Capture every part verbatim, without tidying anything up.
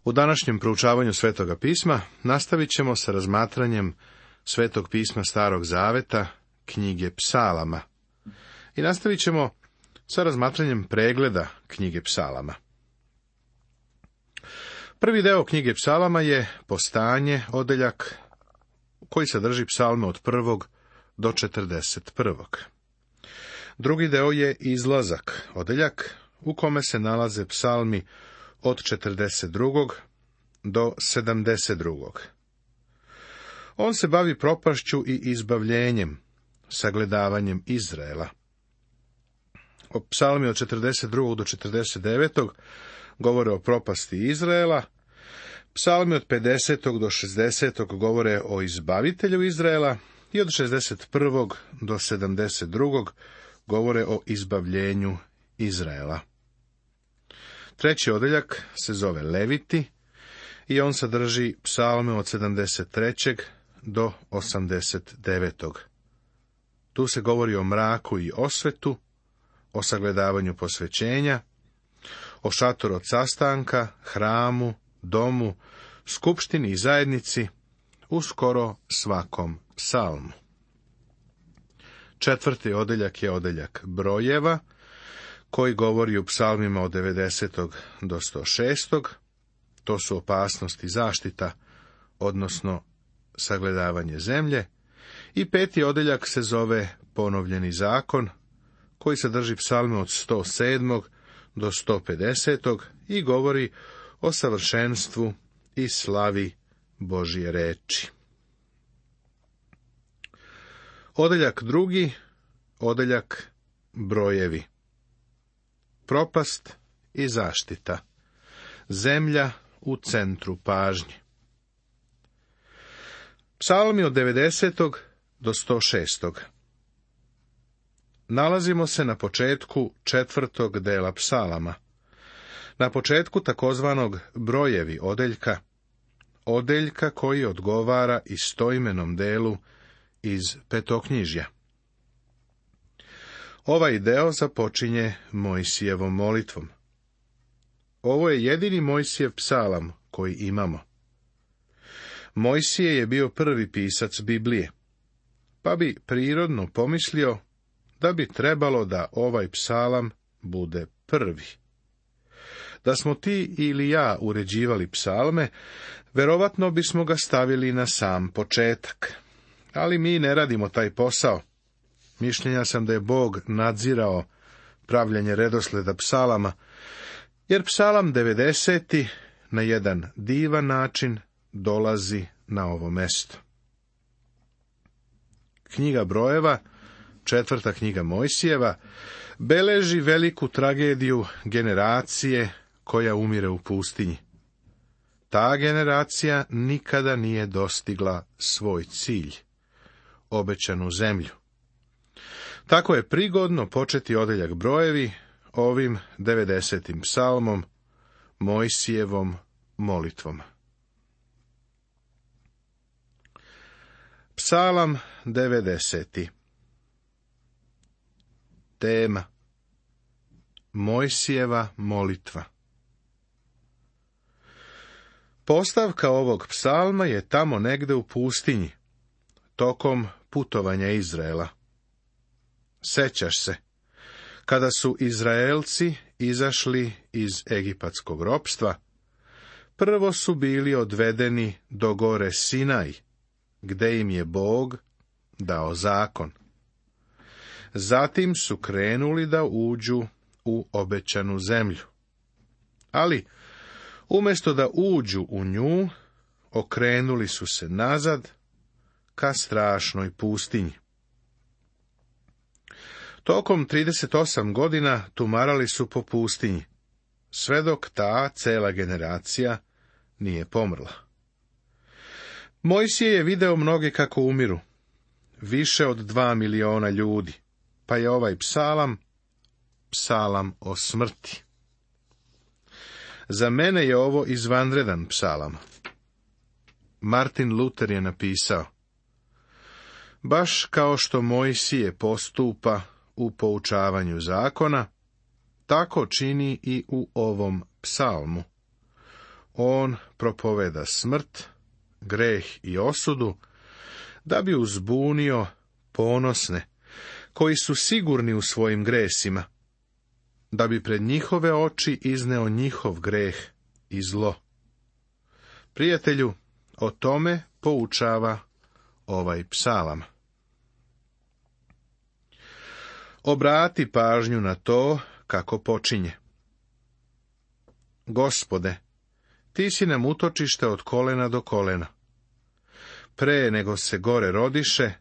U današnjem proučavanju Svetoga pisma nastavit ćemo sa razmatranjem Svetog pisma Starog zaveta, knjige Psalama. I nastavit ćemo sa razmatranjem pregleda knjige Psalama. Prvi deo knjige Psalama je Postanje, odeljak koji sadrži psalme od prvog do četrdeset prvog. Drugi deo je Izlazak, odeljak u kome se nalaze psalmi od četrdeset drugog do sedamdeset drugog. On se bavi propašću i izbavljenjem, sagledavanjem Izraela. O psalmi od četrdeset drugog do četrdeset devetog govore o propasti Izraela, psalmi od pedesetog do šezdesetog govore o izbavitelju Izraela i od šezdeset prvog do sedamdeset drugog govore o izbavljenju Izraela. Treći odeljak se zove Leviti i on sadrži psalme od sedamdeset trećeg do osamdeset devetog. Tu se govori o mraku i osvetu, o sagledavanju posvećenja, o šatoru od sastanka, hramu, domu, skupštini i zajednici, u skoro svakom psalmu. Četvrti odeljak je odeljak brojeva, koji govori u psalmima od devedesetog do sto šestog. To su opasnost i zaštita, odnosno sagledavanje zemlje. I peti odeljak se zove Ponovljeni zakon, koji sadrži psalme od sto sedmog do sto pedesetog i govori o savršenstvu i slavi Božje reči. Odeljak drugi, odeljak brojevi. Propast i zaštita. Zemlja u centru pažnje. Psalmi od devedesetog do sto šestog. Nalazimo se na početku četvrtog dela psalama. Na početku takozvanog brojevi odeljka, odeljka koji odgovara istoimenom delu iz Petoknjižja. Ovaj deo započinje Mojsijevom molitvom. Ovo je jedini Mojsijev psalam koji imamo. Mojsije je bio prvi pisac Biblije, pa bi prirodno pomislio da bi trebalo da ovaj psalam bude prvi. Da smo ti ili ja uređivali psalme, verovatno bismo ga stavili na sam početak. Ali mi ne radimo taj posao. Mišljenja sam da je Bog nadzirao pravljanje redosleda psalama, jer psalam devedeseti na jedan divan način dolazi na ovo mesto. Knjiga brojeva, četvrta knjiga Mojsijeva, beleži veliku tragediju generacije koja umire u pustinji. Ta generacija nikada nije dostigla svoj cilj, obećanu zemlju. Tako je prigodno početi odeljak brojevi ovim devedesetim psalmom, Mojsijevom molitvom. Psalam devedeseti. Tema: Mojsijeva molitva. Postavka ovog psalma je tamo negde u pustinji, tokom putovanja Izraela. Sećaš se, kada su Izraelci izašli iz egipatskog ropstva, prvo su bili odvedeni do gore Sinaj, gde im je Bog dao zakon. Zatim su krenuli da uđu u obećanu zemlju. Ali, umjesto da uđu u nju, okrenuli su se nazad ka strašnoj pustinji. Tokom trideset osam godina tumarali su po pustinji, sve dok ta cela generacija nije pomrla. Mojsije je video mnoge kako umiru, više od dva miliona ljudi, pa je ovaj psalam, psalam o smrti. Za mene je ovo izvanredan psalam. Martin Luther je napisao: baš kao što Mojsije postupa u poučavanju zakona, tako čini i u ovom psalmu. On propoveda smrt, greh i osudu, da bi uzbunio ponosne, koji su sigurni u svojim gresima, da bi pred njihove oči izneo njihov greh i zlo. Prijatelju, o tome poučava ovaj psalam. Obrati pažnju na to kako počinje. Gospode, ti si nam utočište od kolena do kolena. Pre nego se gore rodiše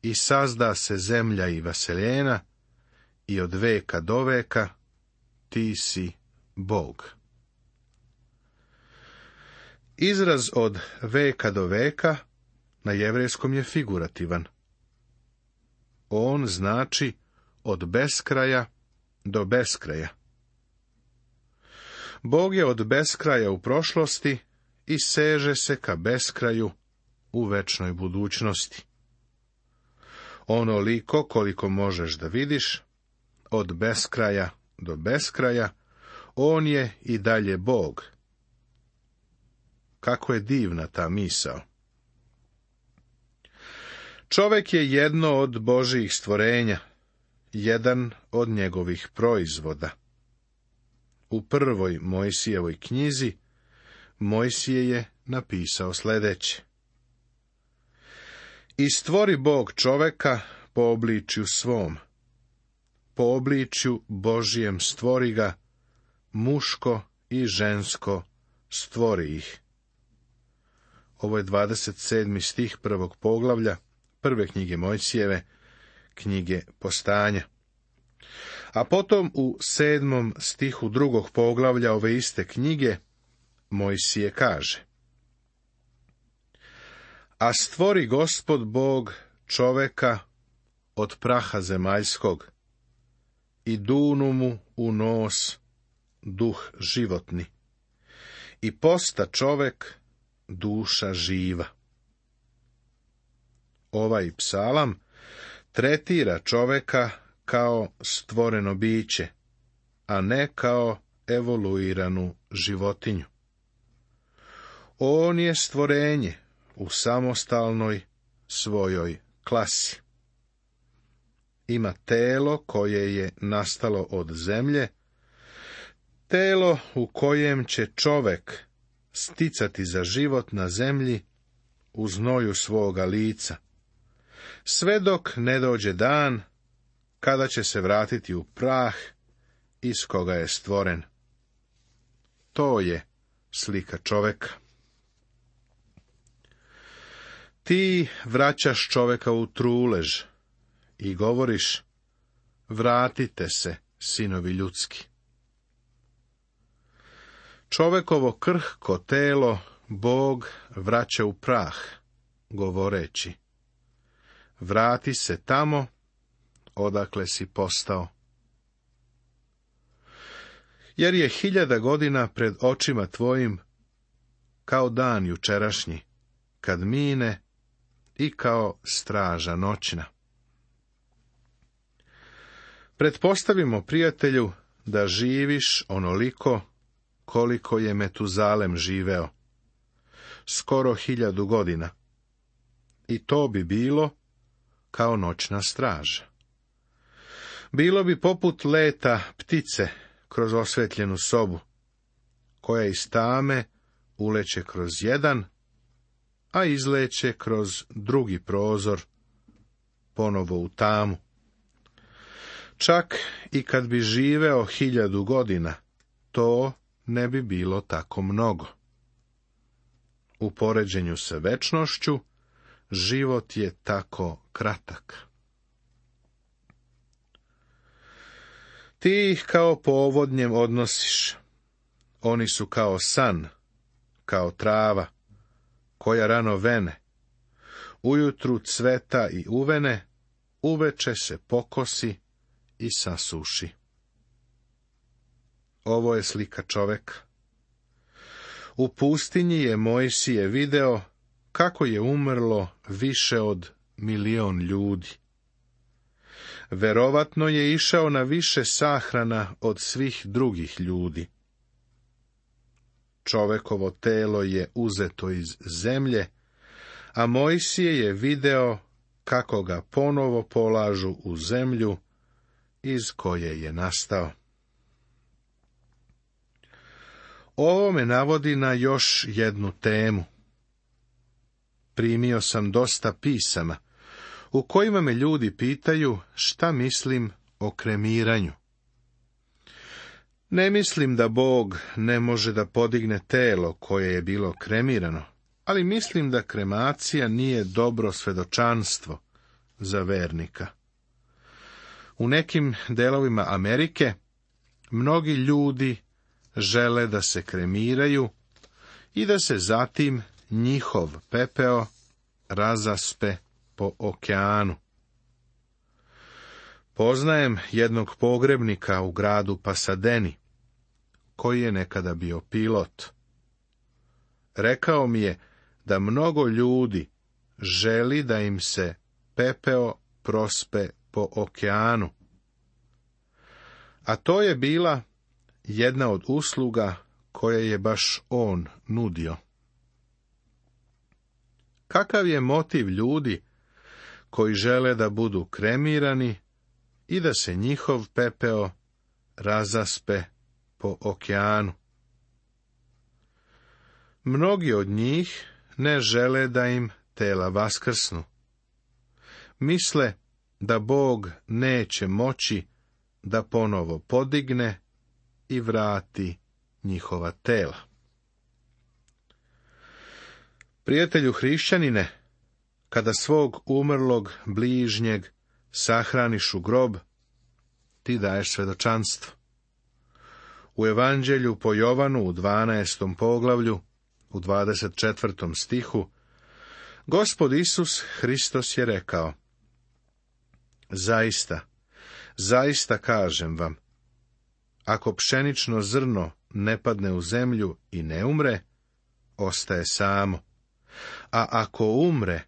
i sazda se zemlja i vaseljena, i od veka do veka ti si Bog. Izraz od veka do veka na jevrejskom je figurativan. On znači od beskraja do beskraja. Bog je od beskraja u prošlosti i seže se ka beskraju u večnoj budućnosti. Onoliko koliko možeš da vidiš, od beskraja do beskraja, on je i dalje Bog. Kako je divna ta misao. Čovek je jedno od Božijih stvorenja, jedan od njegovih proizvoda. U prvoj Mojsijevoj knjizi Mojsije je napisao sljedeće. I stvori Bog čoveka po obličju svom. Po obličju Božijem stvori ga, muško i žensko stvori ih. Ovo je dvadeset sedmi stih prvog poglavlja prve knjige Mojsijeve, knjige Postanja. A potom u sedmom stihu drugog poglavlja ove iste knjige Mojsije kaže: A stvori Gospod Bog čoveka od praha zemaljskog i dunu mu u nos duh životni i posta čovek duša živa. Ovaj psalam tretira čoveka kao stvoreno biće, a ne kao evoluiranu životinju. On je stvorenje u samostalnoj svojoj klasi. Ima telo koje je nastalo od zemlje, telo u kojem će čovek sticati za život na zemlji u znoju svoga lica, sve dok ne dođe dan kada će se vratiti u prah iz koga je stvoren. To je slika čoveka. Ti vraćaš čoveka u trulež i govoriš: vratite se, sinovi ljudski. Čovekovo krhko telo Bog vraća u prah, govoreći: vrati se tamo odakle si postao. Jer je hiljada godina pred očima tvojim kao dan jučerašnji, kad mine, i kao straža noćna. Pretpostavimo, prijatelju, da živiš onoliko koliko je Metuzalem živeo, skoro hiljadu godina, i to bi bilo kao noćna straža. Bilo bi poput leta ptice kroz osvetljenu sobu, koja iz tame uleće kroz jedan, a izleće kroz drugi prozor, ponovo u tamu. Čak i kad bi živeo hiljadu godina, to ne bi bilo tako mnogo. U poređenju sa večnošću, život je tako kratak. Ti ih kao povodnjem odnosiš. Oni su kao san, kao trava, koja rano vene. Ujutru cveta i uvene, uveče se pokosi i sasuši. Ovo je slika čoveka. U pustinji je Mojsije video kako je umrlo više od milion ljudi. Verovatno je išao na više sahrana od svih drugih ljudi. čovekovo telo je uzeto iz zemlje, a Mojsije je video kako ga ponovo polažu u zemlju iz koje je nastao. Ovo me navodi na još jednu temu. Primio sam dosta pisama, u kojima me ljudi pitaju šta mislim o kremiranju. Ne mislim da Bog ne može da podigne telo koje je bilo kremirano, ali mislim da kremacija nije dobro svedočanstvo za vernika. U nekim delovima Amerike mnogi ljudi žele da se kremiraju i da se zatim njihov pepeo razaspe po okeanu. Poznajem jednog pogrebnika u gradu Pasadeni, koji je nekada bio pilot. Rekao mi je da mnogo ljudi želi da im se pepeo prospe po okeanu. A to je bila jedna od usluga koje je baš on nudio. Kakav je motiv ljudi koji žele da budu kremirani i da se njihov pepeo razaspe po okeanu? Mnogi od njih ne žele da im tela vaskrsnu. Misle da Bog neće moći da ponovo podigne i vrati njihova tela. Prijatelju hrišćanine, kada svog umrlog bližnjeg sahraniš u grob, ti daješ svedočanstvo. U Evanđelju po Jovanu u dvanaestom poglavlju, u dvadeset četvrtom stihu, Gospod Isus Hristos je rekao: Zaista, zaista kažem vam, ako pšenično zrno ne padne u zemlju i ne umre, ostaje samo, a ako umre,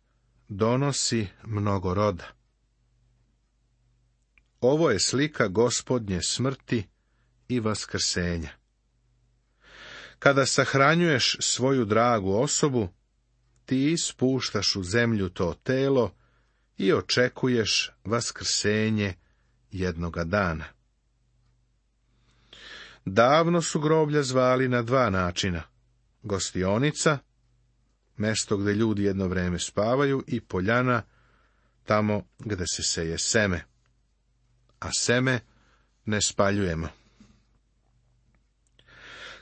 donosi mnogo roda. Ovo je slika Gospodnje smrti i vaskrsenja. Kada sahranjuješ svoju dragu osobu, ti ispuštaš u zemlju to telo i očekuješ vaskrsenje jednoga dana. Davno su groblja zvali na dva načina: gostionica, mesto gde ljudi jedno vreme spavaju, i poljana, tamo gde se seje seme. A seme ne spaljujemo.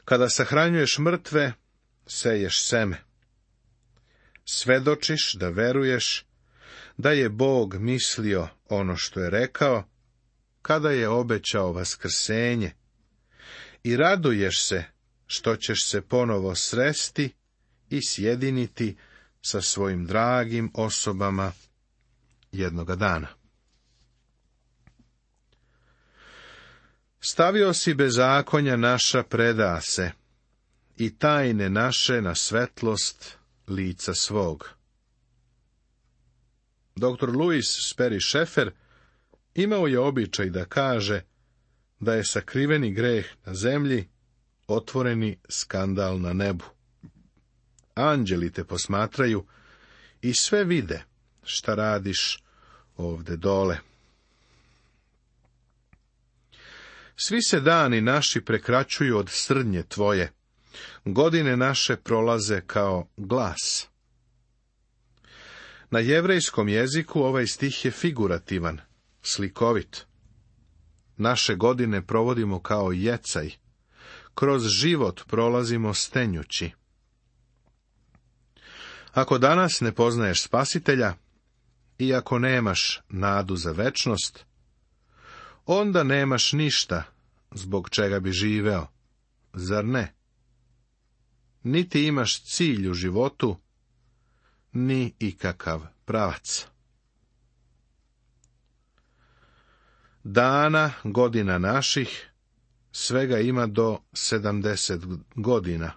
Kada sahranjuješ mrtve, seješ seme. Svedočiš da veruješ da je Bog mislio ono što je rekao, kada je obećao vaskrsenje, i raduješ se što ćeš se ponovo sresti i sjediniti sa svojim dragim osobama jednoga dana. Stavio si bezakonja naša preda se, i tajne naše na svetlost lica svog. doktor Louis Sperry Schaeffer imao je običaj da kaže da je sakriveni greh na zemlji otvoreni skandal na nebu. Anđeli te posmatraju i sve vide šta radiš ovde dole. Svi se dani naši prekraćuju od srdnje tvoje, godine naše prolaze kao glas. Na jevrejskom jeziku ovaj stih je figurativan, slikovit. Naše godine provodimo kao jecaj, kroz život prolazimo stenjući. Ako danas ne poznaješ Spasitelja, i ako nemaš nadu za večnost, onda nemaš ništa zbog čega bi živeo, zar ne? Niti imaš cilj u životu, ni ikakav pravac. Dana, godina naših, svega ima do sedamdeset godina,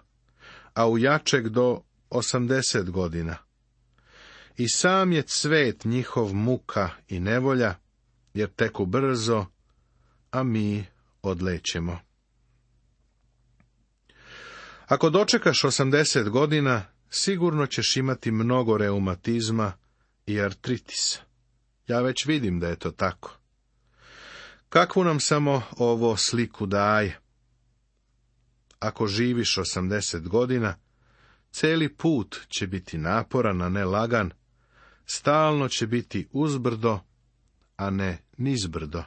a u jačeg do osamdeset godina. I sam je cvet njihov muka i nevolja, jer teku brzo, a mi odlećemo. Ako dočekaš osamdeset godina, sigurno ćeš imati mnogo reumatizma i artritisa. Ja već vidim da je to tako. Kakvu nam samo ovo sliku daje? Ako živiš osamdeset godina, cijeli put će biti naporan, a ne lagan, stalno će biti uzbrdo, a ne nizbrdo.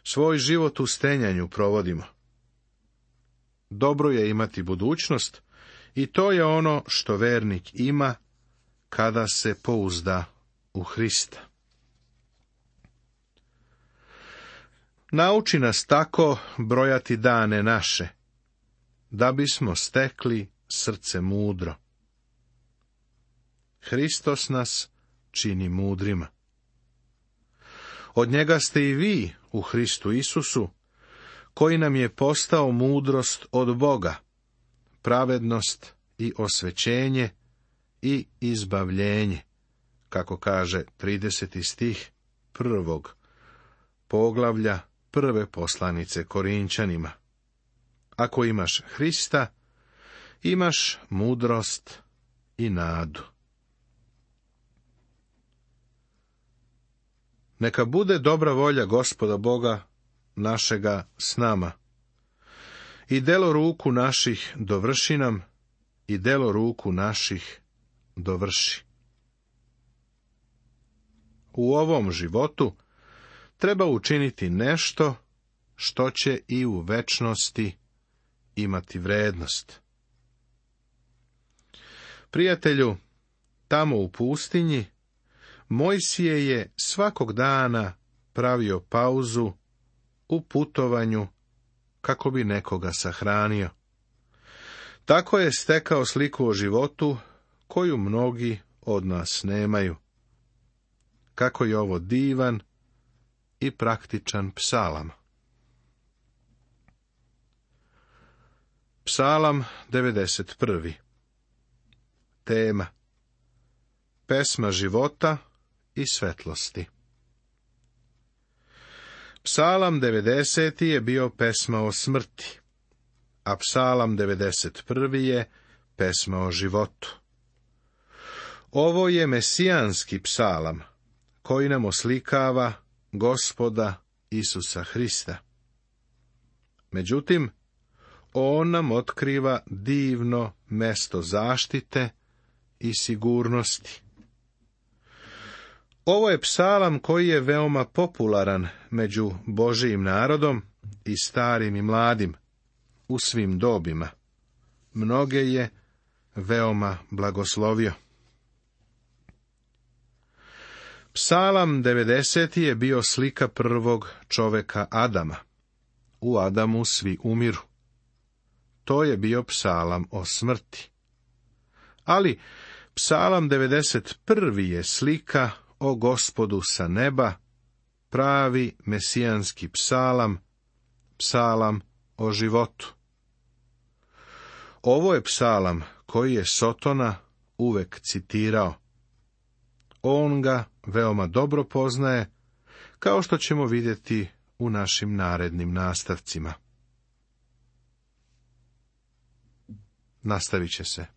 Svoj život u stenjanju provodimo. Dobro je imati budućnost i to je ono što vernik ima kada se pouzda u Hrista. Nauči nas tako brojati dane naše, da bismo stekli srce mudro. Hristos nas čini mudrima. Od njega ste i vi u Hristu Isusu, koji nam je postao mudrost od Boga, pravednost i osvećenje i izbavljenje, kako kaže trideseti stih prvog poglavlja prve poslanice Korinčanima. Ako imaš Hrista, imaš mudrost i nadu. Neka bude dobra volja Gospoda Boga našega s nama. I delo ruku naših dovrši nam, i delo ruku naših dovrši. U ovom životu treba učiniti nešto što će i u večnosti imati vrednost. Prijatelju, tamo u pustinji, Mojsije je svakog dana pravio pauzu u putovanju kako bi nekoga sahranio. Tako je stekao sliku o životu koju mnogi od nas nemaju. Kako je ovo divan i praktičan psalam. Psalam devedeset prvi. Tema: pesma života i svetlosti. Psalam devedeseti je bio pesma o smrti, a psalam devedeset prvi je pesma o životu. Ovo je mesijanski psalam, koji nam oslikava Gospoda Isusa Hrista. Međutim, on nam otkriva divno mesto zaštite i sigurnosti. Ovo je psalam koji je veoma popularan među Božijim narodom i starim i mladim, u svim dobima. Mnoge je veoma blagoslovio. Psalam devedeseti je bio slika prvog čoveka Adama. U Adamu svi umiru. To je bio psalam o smrti. Ali psalam devedeset prvi je slika o Gospodu sa neba, pravi mesijanski psalam, psalam o životu. Ovo je psalam koji je Sotona uvek citirao. On ga veoma dobro poznaje, kao što ćemo vidjeti u našim narednim nastavcima. Nastavit će se.